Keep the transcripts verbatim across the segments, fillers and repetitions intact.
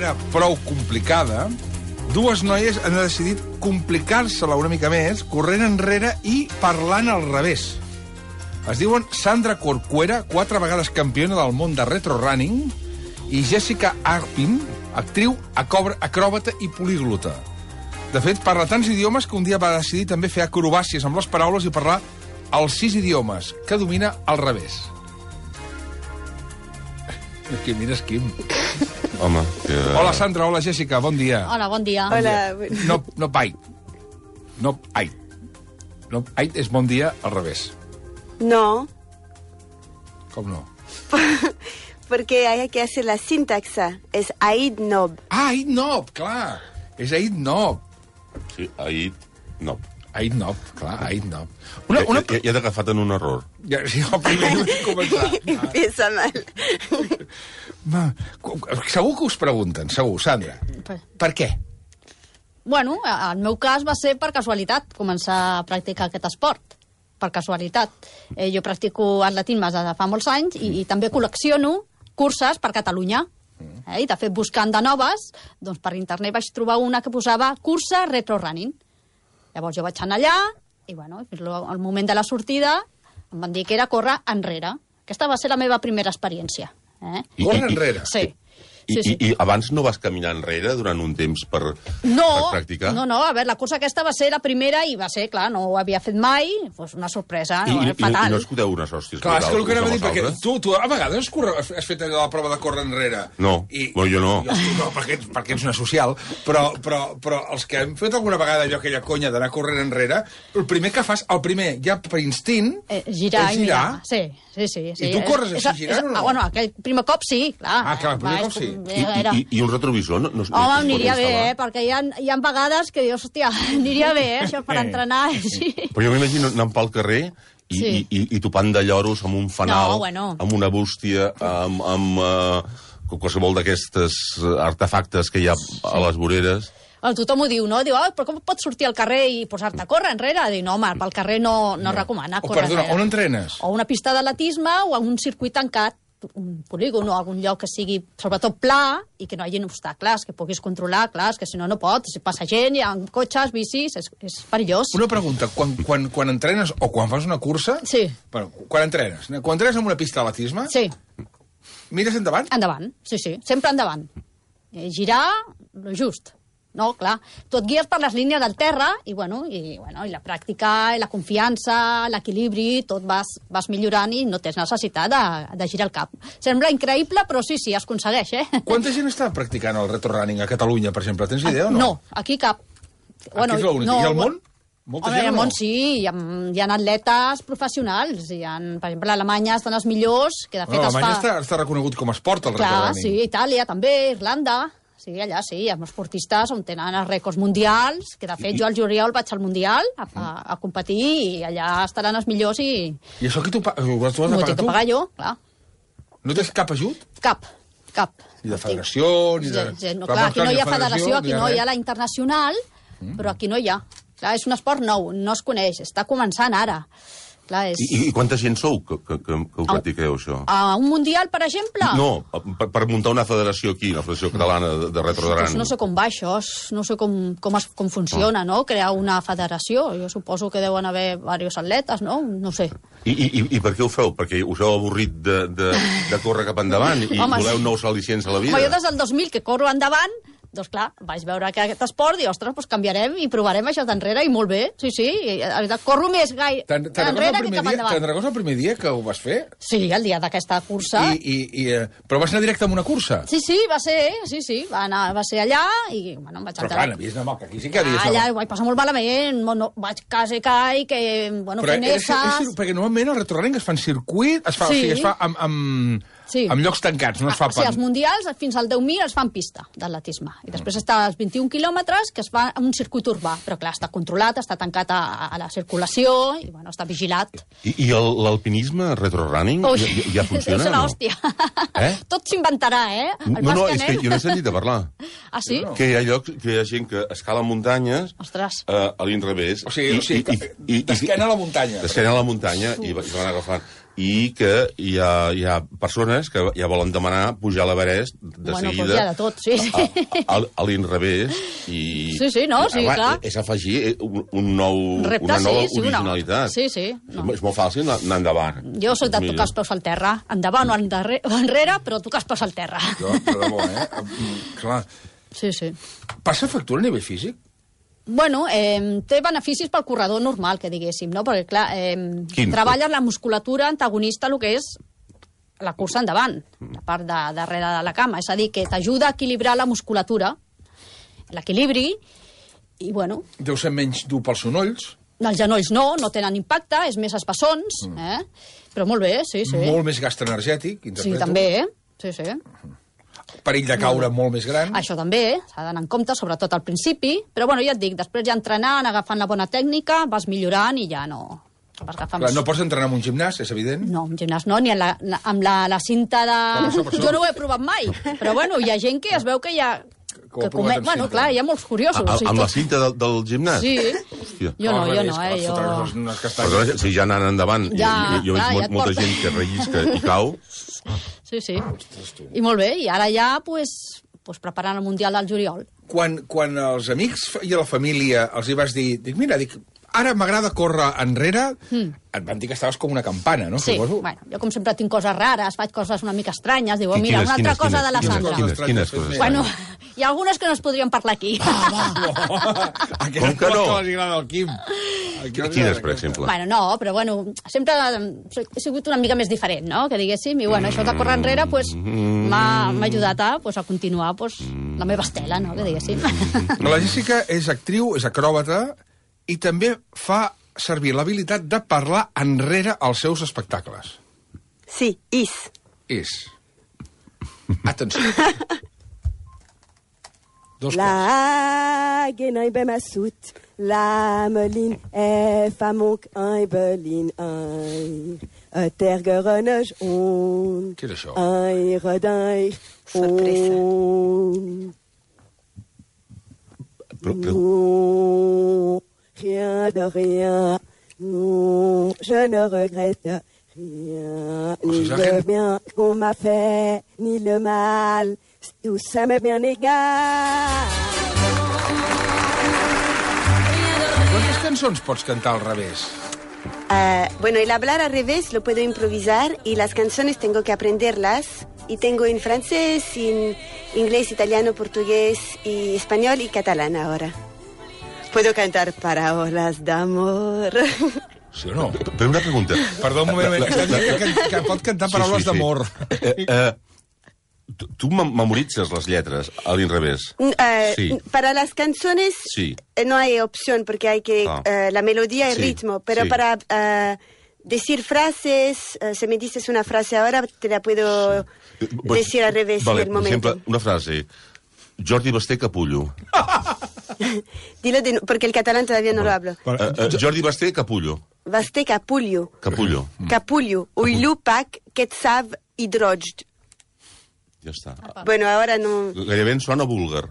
vaga prou complicada, dues noies han decidit complicar-se-la una mica més, corrent enrere i parlant al revés. Es diuen Sandra Corcuera, quatre vegades campiona del món de retrorunning, i Jessica Arpin, actriu, acròbata i políglota. De fet, parla tants idiomes que un dia va decidir també fer acrobàcies amb les paraules i parlar els sis idiomes, que domina al revés. Aquí mires, Quim. Home, que... Hola, Sandra. Hola, Jessica. Bon dia. Hola, bon dia. Hola. No, no pai. No, ai. No, ai és bon dia al revés. No, Com no? porque hay que hacer la sintaxa. Es Aid Nob. Ah, Aid Nob, clar. És Aid Nob. Sí, Aid Nob. Aid Nob, clar, Aid Nob. Una, una... Ja, ja t'he agafat en un error. Ja, sí, el primer no he començat. Empieza mal. Ma, segur que us pregunten, segur, Sandra. Per, Per què? bueno, el meu cas va ser per casualitat, començar a practicar aquest esport. Per casualitat. Eh, jo practico atletisme des de fa molts anys i, i també col·lecciono curses per Catalunya. Eh, I, de fet, buscant de noves, doncs per internet vaig trobar una que posava cursa retrorunning. Llavors jo vaig anar allà i, bueno, al moment de la sortida em van dir que era córrer enrere. Aquesta va ser la meva primera experiència. Eh? Córrer enrere? Sí. I, Sí, sí. i, I abans no vas caminar enrere durant un temps per, No, per practicar? no, no, a veure, la cursa aquesta va ser la primera i va ser, clar, no ho havia fet mai, doncs una sorpresa, I, no, i, eh, fatal. I no escuteu unes hòsties? Clar, és que el que anava a dir, perquè vosaltres? tu, tu a vegades has, corre, has fet allò de la prova de córrer enrere. No, I, bueno, jo no. Jo, no, perquè, perquè ets una social, però, però, però els que hem fet alguna vegada allò, aquella conya d'anar corrent enrere, el primer que fas, el primer, ja per instint, Eh, girar és i girar. mirar. Sí, sí, sí. sí. I tu corres És- així és- girant o no? Ah, bueno, aquell primer cop sí, clar. Ah, clar, el primer Va, cop és sí. com- I, era- i, I un retrovisor? No, no, es- no Home, es pot aniria bé, instal·lar? eh? Perquè hi ha, hi ha vegades que dius, hòstia, aniria bé, eh? Això per entrenar, sí. Però jo m'imagino anant pel carrer i, Sí. i, i, i topant de lloros amb un fanal, No, bueno. amb una bústia, amb, amb uh, qualsevol d'aquestes artefactes que hi ha a les voreres. Bueno, tothom ho diu, no? Diu, oh, però com pots sortir al carrer i posar-te a córrer enrere? Diu, no, home, pel carrer no, no, no. recomana O, córrer perdona, enrere. on entrenes? O una pista d'atletisme o un circuit tancat, un polígon o algun lloc que sigui sobretot pla i que no hi hagi obstacles, que puguis controlar, clar, és que si no, no pots. Si passa gent, hi ha cotxes, bicis, és, és perillós. Una pregunta, quan, quan, quan entrenes o quan fas una cursa... Sí. Bueno, quan entrenes? Quan entrenes en una pista d'atletisme, Sí, mires endavant? endavant, sí, sí, sempre endavant. Eh, girar, lo just. No, clar, tu et guies per les línies del terra i, bueno, i, bueno, i la pràctica, i la confiança, l'equilibri, tot vas, vas millorant i no tens necessitat de, de girar el cap. Sembla increïble, però sí, sí, es aconsegueix, eh? Quanta gent està practicant el retrorunning a Catalunya, per exemple? Tens idea o no? No, aquí cap. Aquí és l'únic. I al món? Molta Home, gent al o no? món sí, hi ha, hi ha atletes professionals. Hi ha, per exemple, a Alemanya estan els millors, que de fet No, es Alemanya fa... està, està reconegut com a esport, el Clar, retrorunning. sí, Itàlia també, Irlanda... Sí, allà sí, hi ha esportistes on tenen els rècords mundials, que de fet jo al juliol vaig al Mundial a, a, a competir i allà estaran els millors i I això qui t'ho paga? Ho has de m'ho pagar tinc que tu? pagar jo, clar. No tens cap ajut? Cap, cap. Ni de federació, ni de... Sí, sí, no, Clar, clar, aquí no hi ha federació, federació, aquí ni no res. hi ha la internacional, però aquí no hi ha. Clar, és un esport nou, no es coneix, està començant ara. Clar, és... I, I quanta gent sou que, que, que, que ho practiqueu, això? A un Mundial, per exemple? No, per, per muntar una federació aquí, la Federació Catalana de, de Retrorunning. Pues no sé com va això, no sé com, com, es, com funciona, no? Crear una federació. Jo suposo que deuen haver diversos atletes, no? No sé. I, i, i- I per què ho feu? Perquè us heu avorrit de, de, de córrer cap endavant i Home, voleu sí. nous al·licients a la vida? Home, jo des del dos mil que corro endavant, doncs clar, vaig veure que aquest esport i, ostres, doncs canviarem i provarem això d'enrere i molt bé, sí, sí, i, la veritat, corro més gai Te'n te'n recordes enrere el que primer cap dia- endavant. te'n recordes el primer dia que ho vas fer? Sí, el dia d'aquesta cursa. I, i, i, eh, però vas anar directe a una cursa? Sí, sí, va ser, sí, sí, va, anar, va ser allà i, bueno, em vaig Però enterar. clar, n'havies d'anar, que aquí sí que havies Ah, allà d'anar. ho vaig passar molt malament, no, vaig quasi caig, que, bueno, Però fent és, és, esses... perquè normalment el retrorunning es fa en circuit, es fa, Sí. o sigui, es fa amb, amb, Sí. amb llocs tancats, no es fa Ah, sí, per... els mundials fins al deu mil es fan pista d'atletisme. I després està als vint-i-un quilòmetres, que es fa en un circuit urbà. Però clar, està controlat, està tancat a, a la circulació i bueno, està vigilat. I, i el- l'alpinisme retrorunning Ui, ja, ja funciona, deu ser no? l'hòstia. Eh? Tot s'inventarà, eh? El No, no, pas és que anem- jo no he sentit a parlar. Ah, sí? No. Que hi ha llocs, que hi ha gent que escala muntanyes Ostres. eh, a l'inrevés. O sigui, o sigui que d'esquena a la muntanya. D'esquena a la muntanya i, va- i van agafant. i que hi ha, hi ha persones que ja volen demanar pujar a l'Everest de bueno, seguida pues ja de tot, sí, sí. a, a, a l'inrevés i... Sí, sí, no, sí, home, clar. És afegir un, un nou, Repte, una nova sí, sí, originalitat. Una... Sí, sí. No. És molt fàcil anar endavant. Jo soc de tocar els peus al terra. Endavant o endarrere, o enrere, però tocar els peus al terra. Jo, per debò, eh? Clar. Sí, sí. Passa factura a nivell físic? Bueno, eh, té beneficis pel corredor normal, que diguéssim, no? Perquè, clar, eh, treballes la musculatura antagonista, el que és la cursa endavant, la part de darrere de la cama. És a dir, que t'ajuda a equilibrar la musculatura, l'equilibri, i, bueno... Deu ser menys dur pels sonolls. Els genolls no, no tenen impacte, és més espessons, eh? Però molt bé, sí, sí. Molt més gast energètic, interpreto. Sí, també, eh? Sí, sí. Perill de caure molt més gran. Això també, s'ha d'anar en compte, sobretot al principi, però bueno, ja et dic, després ja entrenant, agafant la bona tècnica, vas millorant i ja no... Vas agafant... Clar, no pots entrenar en un gimnàs, és evident. No, en gimnàs no, ni en la, la, amb la, la cinta de... Per això, per això. Jo no ho he provat mai, però bueno, hi ha gent que es veu que ja... Que ho ha Que provat come... amb Bueno, cinta. clar, hi ha molts curiosos. A, o sigui, amb la tot- cinta del, del gimnàs? Sí. Hòstia. Jo no, Al jo revés, no, que eh? vas Jo... fotre unes castanyes. Perdona, si ja anant endavant, Ja, jo, jo clar, he ja vist et molta porta. gent que rellisca i cau. Sí, sí. I molt bé, i ara ja, pues, pues preparant el Mundial del juliol. Quan, quan els amics i a la família els hi vas dir, dic, mira, dic, ara m'agrada córrer enrere, mm. et van dir que estaves com una campana, no? Sí, Suposo. bueno, jo com sempre tinc coses rares, faig coses una mica estranyes, diu, Qui- mira, quines, una altra quines, cosa quines, de la quines, Sandra. quines, quines coses? Bueno, hi ha algunes que no es podrien parlar aquí. Aquest Com que no? que els agrada al Quim. Quines, per exemple? Bueno, no, però bueno, sempre he sigut una mica més diferent, no?, que diguéssim, i bueno, això de córrer enrere, pues, m'ha m'ha ajudat a, pues, a continuar, pues, la meva estela, no?, que diguéssim. La Jessica és actriu, és acròbata, i també fa servir l'habilitat de parlar enrere als seus espectacles. Sí, is. És. Atenció. Dos quarts. La genai be massout, la melin e famok ein berlin ein. A tergerenej on. Què és això? Ein redai Sorpresa. on. Però, però, Non, rien de rien. Non, je ne regrette rien. Oh, Ni c'est ça, le rien. bien qu'on m'a fait, ni le mal. Tout ça m'est bien égal. Quantes cançons pots cantar al revés? Ah, bueno, el hablar al revés lo puedo improvisar y las canciones tengo que aprenderlas. Y tengo en francés, en inglés, italiano, portugués y español y catalán ahora. Puedo cantar parábolas de amor. Sí o no? però una pregunta. Perdó un moment, La- que, la- que, que, que pot cantar paraules Sí, sí, sí. d'amor. Eh, eh, tu, tu mem- memoritzes les lletres a l'inrevés? Ah, Sí. Para las canciones Sí. eh, no hay opción porque hay que Ah. eh, la melodía y el Sí, ritmo. Pero sí. para ah, decir frases, eh, si me dices una frase ahora, te la puedo decir al revés Vale, en el per momento. exemple, una frase. Jordi Basté Capullo. Dilo de nu- porque el catalán todavía no lo hablo. Eh, eh, Jordi Basté Capullo. Vaste capullo. Capullo. Capullo. Uilupac, quetzav, hidrojd. Ja està. Bueno, ahora no... Gairebé em sona búlgar.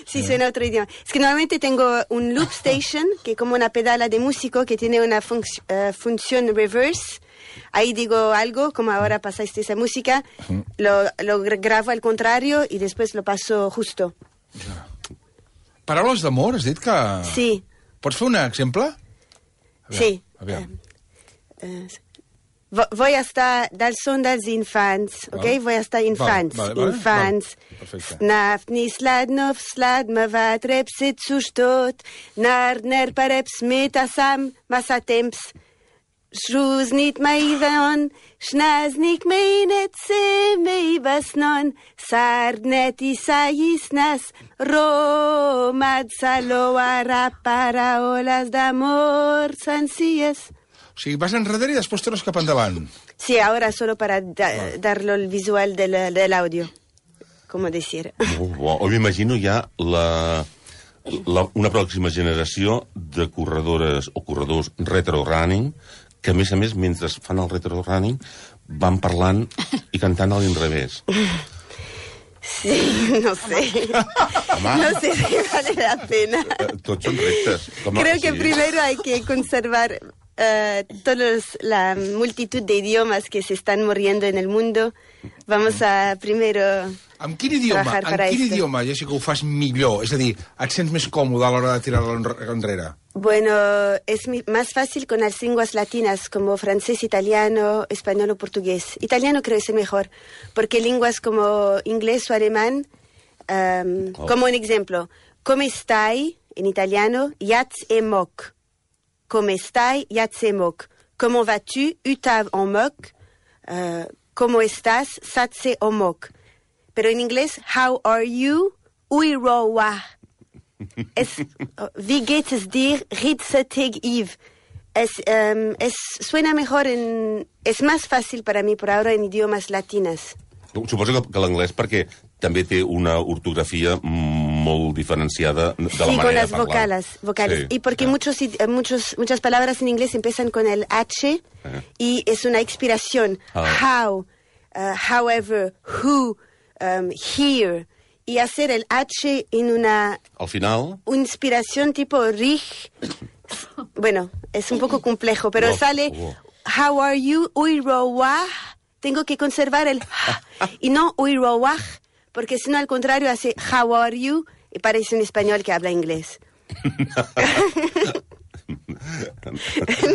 Sí, suena otro idioma. Es que normalmente tengo un loop station, que es como una pedala de músico que tiene una func- eh, función reverse. Ahí digo algo, como ahora pasaste esa música, lo, lo gra- grabo al contrario y después lo paso justo. Paraules d'amor, has dit que... Sí, Pots fer un exemple? sí. Aviam. Eh, vo- voy hasta dal son dels infants, ok? Val. Voy hasta infants. Vale, vale, vale. Infants. Val. Perfecte. Snaf ni slad nof slad me va trepsit sustot. Nar ner pareps metasam masatemps. Shroes niet mei veon, schnaz nik mei net se mei basnon, sard net isayisnas, romad saloara paraolas d'amor sencillas. O sigui, vas enrere i després tornes cap endavant. Sí, ahora solo para da- darlo el visual del, del audio, como decir. Molt bo. O m'imagino ja la, la, una pròxima generació de corredores o corredors retro-running que, a més a més, mentre fan el retro-running, van parlant i cantant a l'inrevés. Sí, no sé. Home, No sé si vale la pena. eh, tots són reptes. Com, Creo que sí. primero hay que conservar uh, todos la multitud de idiomas que se están muriendo en el mundo, vamos a primero Amb quin idioma, trabajar en para quin esto. idioma, Jessica, ho fas millor? És a dir, et sents més còmode a l'hora de tirar-lo enre- enrere? Bueno, es mi- más fácil con las lenguas latinas como francés, italiano, español o portugués. Italiano creo que es el mejor, porque lenguas como inglés o alemán, um, Oh. como un ejemplo, come stai en italiano, yats e mok. Come stai, yats e mok. Comment vas-tu, utav en mok. Uh, ¿Cómo estás, satse o mok. Pero en inglés, how are you, ui ro wa. Es, wie geht es dir, ritze teg iv. Es, um, es, suena mejor en... Es más fácil para mí por ahora en idiomas latinas. Suposo que, que l'anglès perquè també té una ortografia molt diferenciada de la Sí, manera con las de parlar. vocales. vocales. Sí, y porque sí. muchos, id- eh, muchos, muchas palabras en inglés empiezan con el H y es una expiración. Ah. How, uh, however, who, um, here. Y hacer el H en una Al final, inspiración tipo rich. Bueno, es un poco complejo, pero Wow, sale wow. how are you, uirowa. Tengo que conservar el y no uirowa, porque si no al contrario hace how are you y parece un español que habla inglés.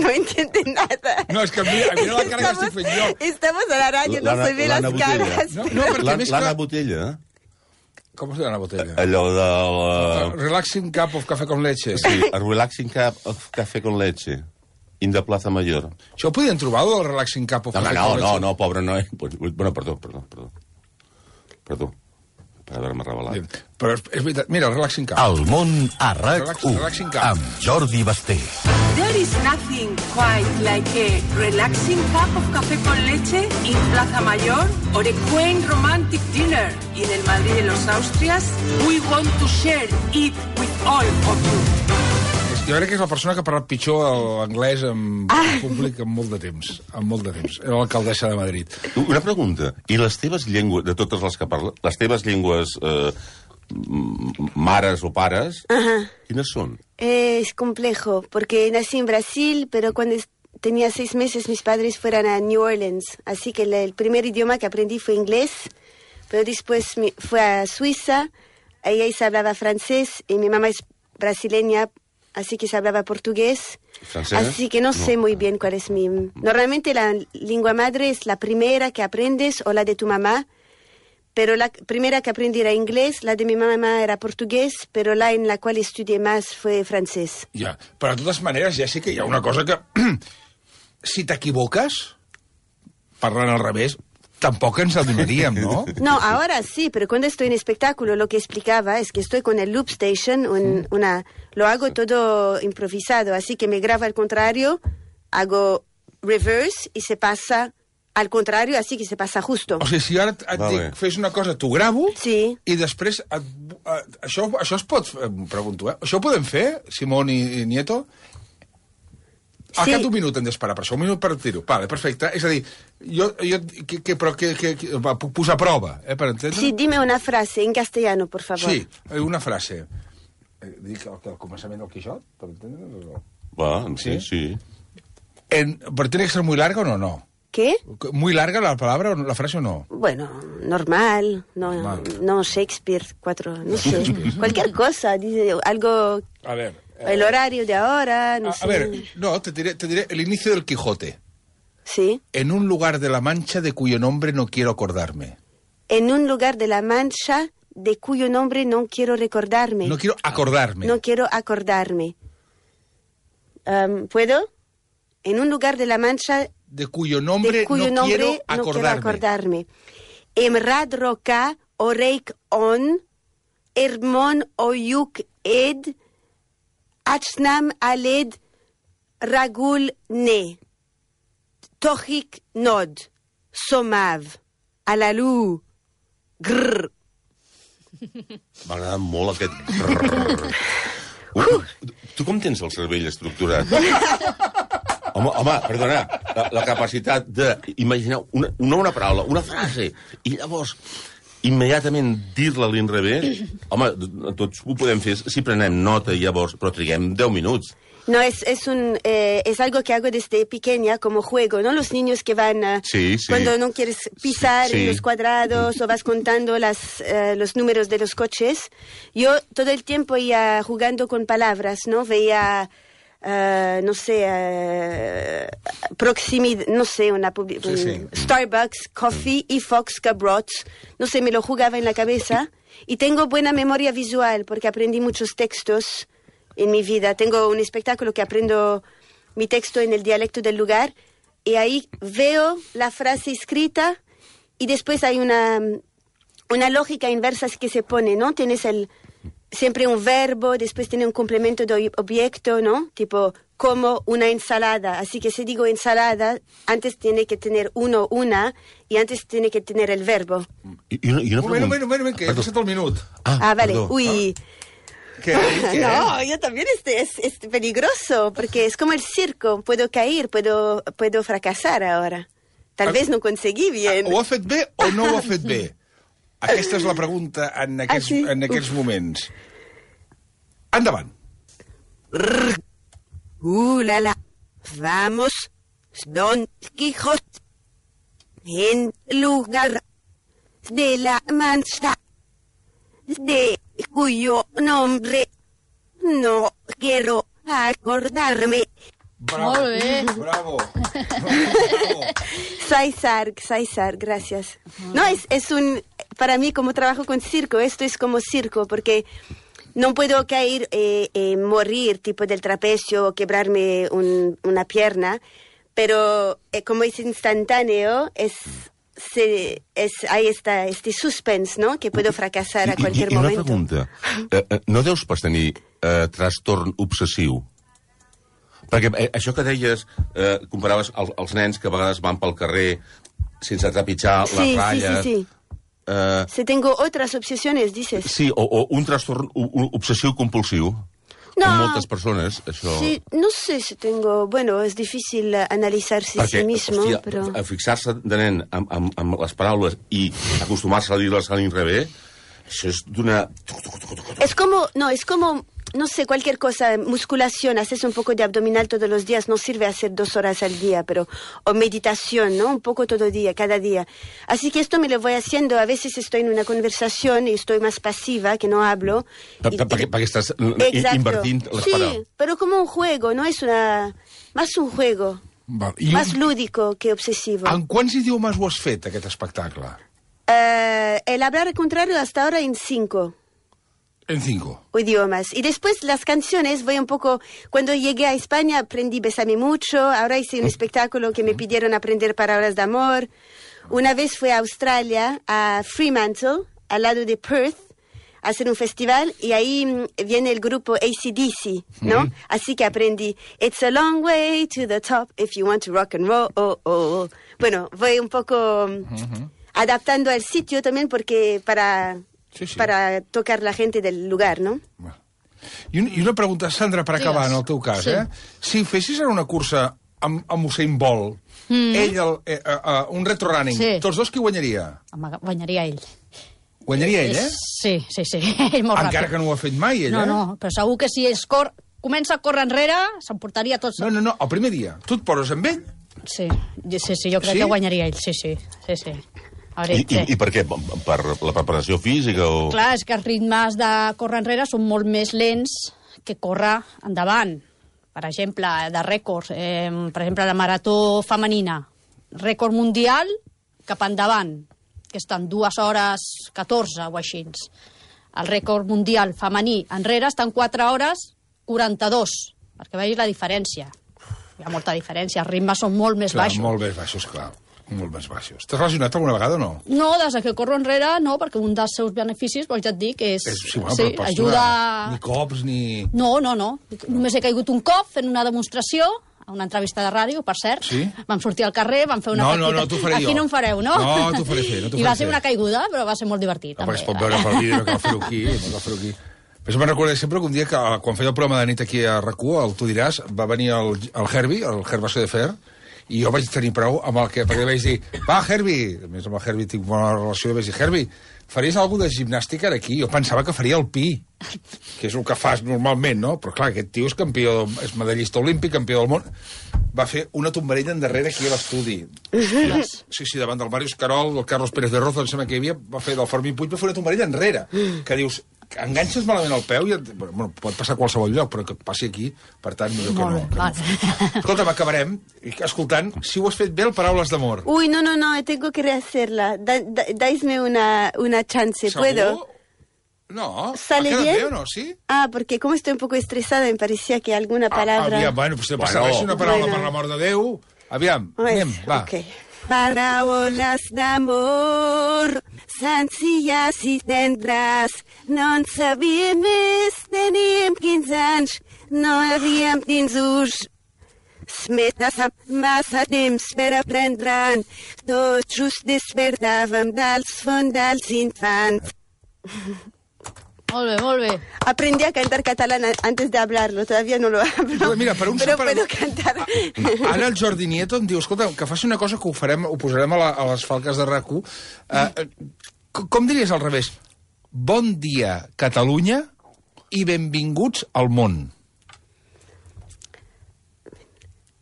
No entiende nada. No, és que mira, mira la cara que Estamos- estic fent jo. Estamos a la radio, no se ve las L'Anna Botella. caras. No, no, perquè L'Anna més l'Anna que... Botella, Com es diu la botella? allò de la... Relaxing cup of café con leche. Sí, a Relaxing Cup of Café con Leche, in the Plaza Mayor. Això ho podien trobar, el Relaxing cup of No, café no, con no, leche? no, pobre noi. Bueno, perdó, perdó, perdó. Perdó, per haver-me revelat. Bien. Però és, és veritat, mira, el Relaxing cup. El món a RAC Relax- u, relaxing cap. amb Jordi Basté. There is nothing quite like a relaxing cup of café con leche in Plaza Mayor or a quaint romantic dinner in el Madrid de los Austrias. We want to share it with all of you. Jo crec que és la persona que ha parlat pitjor l'anglès en públic en molt de temps. En molt de temps. Era l'alcaldessa de Madrid. Una pregunta. I les teves llengües, de totes les que parles, les teves llengües eh, m- mares o pares, quines són? Es complejo, porque nací en Brasil, pero cuando es- tenía seis meses mis padres fueron a New Orleans. Así que el, el primer idioma que aprendí fue inglés, pero después mi- fue a Suiza, ahí se hablaba francés, y mi mamá es brasileña, así que se hablaba portugués. ¿Francés? Así que no, No. sé muy bien cuál es mi... Normalmente la lengua madre es la primera que aprendes o la de tu mamá, pero la primera que aprendí era inglés, la de mi mamá era portugués, pero la en la cual estudié más fue francés. Ja. Però de totes maneres, Jessica, hi ha una cosa que... si t'equivoques, parlant al revés, tampoc ens adonaríem, no? No, ahora sí, pero cuando estoy en espectáculo lo que explicaba es que estoy con el loop station, un- una, lo hago todo improvisado, así que me grabo al contrario, hago reverse y se pasa al contrario, así que se pasa justo. O sigui, si ara et, et Vale. dic, fes una cosa, t'ho gravo, Sí. i després... Et, et, això, això es pot... Em pregunto, eh? Això ho podem fer, Simón i, i Nieto? Al Sí. cap d'un minut hem d'esperar per això, un minut per dir-ho. Vale, perfecte. És a dir, jo... jo que, que, però que, que, que, va, puc posar a prova, eh, per entendre? Sí, dime una frase en castellano, por favor. Sí, eh, una frase. Eh, dic el, el començament del Quixot, per entendre? O no? Va, sí, Sí? sí. En, ¿Pero tiene que ser muy larga o no? No. ¿Qué? ¿Muy larga la palabra o no- la frase o no? Bueno, normal, no, Normal. no Shakespeare, cuatro, no sé, cualquier cosa, dice algo, A ver... eh, el horario de ahora, no a, sé. a ver, no, te diré, te diré el inicio del Quijote. Sí. En un lugar de la Mancha de cuyo nombre no quiero acordarme. En un lugar de la Mancha de cuyo nombre no quiero recordarme. No quiero acordarme. No quiero acordarme. Am, ¿Puedo? En un lugar de la Mancha De cuyo nombre de cuyo no quiero nombre no quiero acordarme. acordarme. Emrad roca oreik on, hermon oyuk ed, achnam aled ragul ne, tohik nod, somav, alalu, grrr. M'ha agradat molt aquest... Brrr. Uh, tu com tens el cervell estructurat? Home, home, perdona, la, la capacitat d'imaginar una, no una paraula, una frase, i llavors immediatament dir-la a l'inrevés, home, tots ho podem fer si prenem nota i llavors, però triguem deu minuts. No, es, es, un, eh, es algo que hago desde pequeña como juego, ¿no? Los niños que van, uh, sí, sí. cuando no quieres pisar sí, sí. en los cuadrados o vas contando las, uh, los números de los coches. Yo todo el tiempo iba jugando con palabras, ¿no? Veía, uh, no sé, uh, proximidad, no sé, una publi- sí, sí. Starbucks, Coffee y Fox Cabrots. No sé, me lo jugaba en la cabeza. Y tengo buena memoria visual porque aprendí muchos textos en mi vida. Tengo un espectáculo que aprendo mi texto en el dialecto del lugar y ahí veo la frase escrita y después hay una, una lógica inversa que se pone, ¿no? Tienes el, siempre un verbo, después tiene un complemento de objeto, ¿no? Tipo, como una ensalada. Así que si digo ensalada, antes tiene que tener uno, una, y antes tiene que tener el verbo. I, i una, i una Un moment, un moment, un moment, que he passat el minut. Ah, vale. perdó. Uy. Què? Què? No, yo también este es, es peligroso, porque es como el circo, puedo caer, puedo, puedo fracasar ahora. Tal Ah, vez no conseguí bien. Ho ha fet bé o no ho ha fet bé? Aquesta és la pregunta en aquests, Ah, sí? en aquests moments. Endavant. Uh, la, la. Vamos, Don Quijote, en lugar de la mancha, de cuyo nombre no quiero acordarme. Bravo. Molt bé. Bravo. Bravo. Saizar, Saizar, gracias. No, es, es un, para mí como trabajo con circo, esto es como circo, porque no puedo caer, eh, eh, morir, tipo del trapecio, o quebrarme un, una pierna, pero eh, como es instantáneo, es, se, es, hay esta, este suspense, ¿no? Que puedo fracasar a I, cualquier i, i una momento. pregunta. Eh, eh, no deus pas tenir eh, trastorn obsessiu? Perquè eh, això que deies, eh, comparaves el, els nens que a vegades van pel carrer sense trepitjar Sí, les sí, ratlles... sí, sí. Eh, Si tengo otras obsesiones, dices. sí, o, o un trastorn o- o obsessiu-compulsiu. No. Amb moltes persones, això... Sí, no sé si tengo, bueno, es difícil eh, analizarse a sí mismo, hòstia, pero... a fixar-se de nen amb, amb, amb les paraules i acostumar-se a dir-les a l'inrevés, això és d'una... Es como, no, es como, no sé, cualquier cosa, musculación, haces un poco de abdominal todos los días, no sirve hacer dos horas al día, pero, o meditación, ¿no? Un poco todo día, cada día. Así que esto me lo voy haciendo, a veces estoy en una conversación y estoy más pasiva, que no hablo. Per, y- per, perquè, perquè estàs Exacto. invertint les Sí, paraules. pero como un juego, no es una, más un juego, Val. I más un, lúdico que obsesivo. en quants idiomes ho has fet, aquest espectacle? Eh, el hablar al contrario hasta ahora en cinco. En cinco. Idiomas. Y después las canciones, voy un poco... Cuando llegué a España aprendí Bésame Mucho, ahora hice un espectáculo que me pidieron aprender palabras de amor. Una vez fui a Australia, a Fremantle, al lado de Perth, a hacer un festival, y ahí mm, viene el grupo A C D C, ¿no? Así que aprendí It's a long way to the top if you want to rock and roll. Oh, oh. Bueno, voy un poco mm, adaptando al sitio también porque para... Sí, sí. para tocar la gente del lugar, ¿no? I, un, I una pregunta, Sandra, per acabar, Digues. en el teu cas, Sí. eh? Si fessis ara una cursa amb, amb Usain Bolt, mm. ell, el, eh, eh, eh, un retro running, Sí. tots dos qui guanyaria? Home, guanyaria ell. Guanyaria ell, eh? Sí, sí, sí. Ell molt Encara ràpid. que no ho ha fet mai, ell, No, eh? no, però segur que si es cor... comença a córrer enrere, s'emportaria tots... No, no, no, el primer dia. Tu et poses amb ell? Sí, jo- sí, sí, jo crec Sí? que guanyaria ell, sí, sí, sí, sí. A I, veure, i, I per què? Per la preparació física o... Clar, és que els ritmes de córrer enrere són molt més lents que córrer endavant. Per exemple, de rècords, eh, per exemple, la marató femenina, rècord mundial cap endavant, que estan dues hores catorze o així. El rècord mundial femení enrere estan quatre hores quaranta-dos, perquè vegis la diferència. Hi ha molta diferència, els ritmes són molt més Clar, baixos. molt més baixos, clar. Molt més baixos. T'has relacionat alguna vegada o no? No, des que corro enrere, no, perquè un dels seus beneficis, doncs ja et dic, és... És, sí, bueno, sí, però pots ajuda... donar Ni cops, ni... No, no, no. Només he caigut un cop fent una demostració, a una entrevista de ràdio, per cert. Sí? Vam sortir al carrer, vam fer una No, no, petita... no, t'ho faré Aquí jo. no em fareu, no? No, t'ho faré fer, no t'ho I faré va ser fer. una caiguda, però va ser molt divertit, No, també. perquè es pot veure pel vídeo, no cal fer-ho aquí, no cal fer-ho aquí. Però me'n recordo sempre que un dia, que, quan feia el programa de nit aquí a RAC u, el Tu diràs, va venir el, el Herbie, el Herba de Fer, I jo vaig tenir prou amb el que... Perquè vaig dir, va, Herbie, a més amb el Herbie tinc bona relació, i vaig dir, Herbie, faries alguna de gimnàstica aquí? Jo pensava que faria el pi, que és el que fas normalment, no? Però clar, aquest tio és campió, és medallista olímpic, campió del món. Va fer una tombarella endarrere aquí a l'estudi. Sí, sí, davant del Màrius Carol, del Carlos Pérez de Rozo, em sembla que hi havia, va fer del Fermín Puig, va fer una tombarella enrere, que dius, enganxes malament el peu i et, bueno, pot passar a qualsevol lloc, però que et passi aquí, per tant, millor que no. Que no. Escolta'm, acabarem escoltant Si ho has fet bé, el Paraules d'amor. Uy, no, no, no, tengo que rehacerla. Da, da, daisme una, una chance, ¿Seguro? ¿puedo? No, ¿Sale ¿ha quedat bien? bé o no? Sí? Ah, porque como estoy un poco estresada, me parecía que alguna palabra... Ah, aviam, bueno, pues no passa res, una paraula Bueno. per l'amor de Déu. Aviam, Pues, anem, va. ok. Paraules d'amor, senzilles i tendres, no en sabíem més, teníem quinze anys, no havíem tingut més massa temps per aprendre'n, tot just despertàvem dels fondals infants. Molt bé, molt bé. Aprendí a cantar catalán antes de hablarlo, todavía no lo hablo. Mira, per un pero separa- puedo cantar. Ara el Jordi Nieto em diu, escolta, que faci una cosa que ho farem, ho posarem a, la, a les falques de R A C u. Uh, com diries al revés? Bon dia, Catalunya, i benvinguts al món.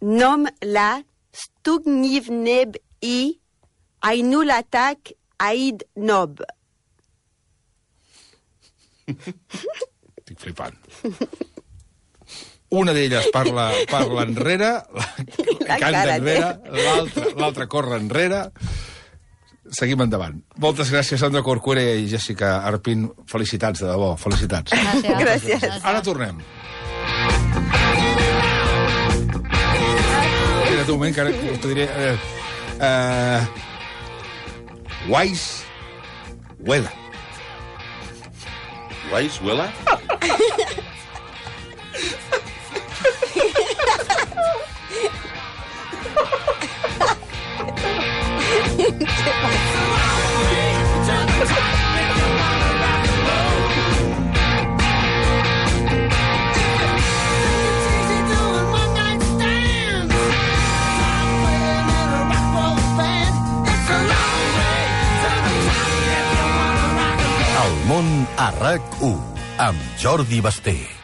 Nom la stugnivneb i ainulatak aid nob. Estic flipant. Una d'elles parla, parla enrere, la, La canta cara enrere, l'altra l'altra corre enrere. Seguim endavant. Moltes gràcies, Sandra Corcuera i Jessica Arpin. Felicitats, de debò, felicitats. Gràcies. Gràcies. Ara tornem. Espera't un moment, que ara us diré... Uh, uh, Wise Weather. Guais, huela? El món a R A C u amb Jordi Basté.